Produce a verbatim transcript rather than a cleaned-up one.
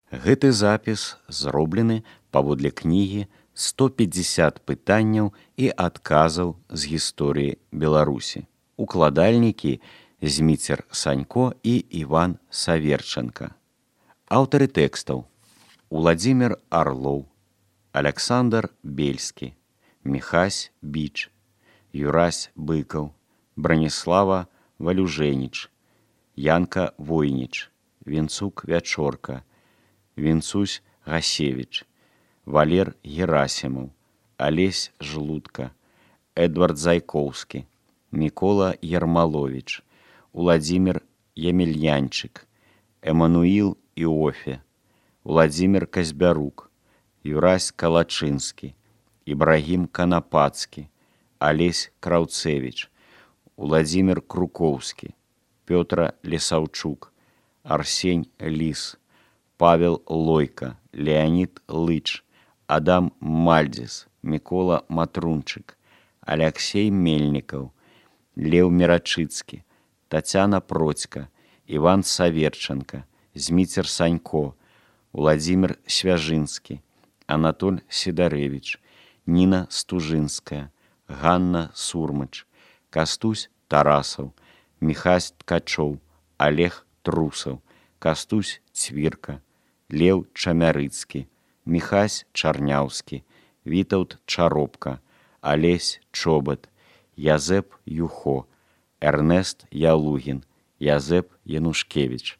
Гэты запіс зроблены паводле кнігі сто пятьдесят пытанняў і адказаў з гісторыі Беларусі. Укладальнікі Зміцер Санько і Іван Саверченко. Аўтары тэкстаў: Уладзімір Арлоў, Аляксандр Бельскі, Міхась Біч, Юрась Быкаў, Браніслава Валюжэніч, Янка Войніч, Вінцук Вячорка, Вінцусь Гасевіч, Валер Герасімаў, Алесь Жлудка, Эдвард Зайкоўскі, Мікола Ярмаловіч, Уладзімір Емельянчык, Эмануіл Іофе, Уладзімір Казбярук, Юрась Калачынскі, Ібрагім Канапацкі, Алесь Краўцевіч, Уладзімір Крукоўскі, Пётра Лесаўчук, Арсень Ліс, Павел Лойка, Леонід Лыч, Адам Мальдзіс, Мікола Матрунчык, Аляксей Мельнікаў, Леў Мерачыцкі, Тацяна Процька, Іван Саверченко, Зміцер Санько, Уладзімір Свяжынскі, Анатоль Сідарэвіч, Ніна Стужынская, Ганна Сурмач, Кастусь Тарасаў, Міхась Ткачоў, Олег Трусаў, Кастусь Цвірка, Леў Чамярыцкі, Міхась Чарняўскі, Вітаўт Чаропка, Алесь Чобат, Язэп Юхо, Эрнест Ялугін, Язэп Янушкевіч,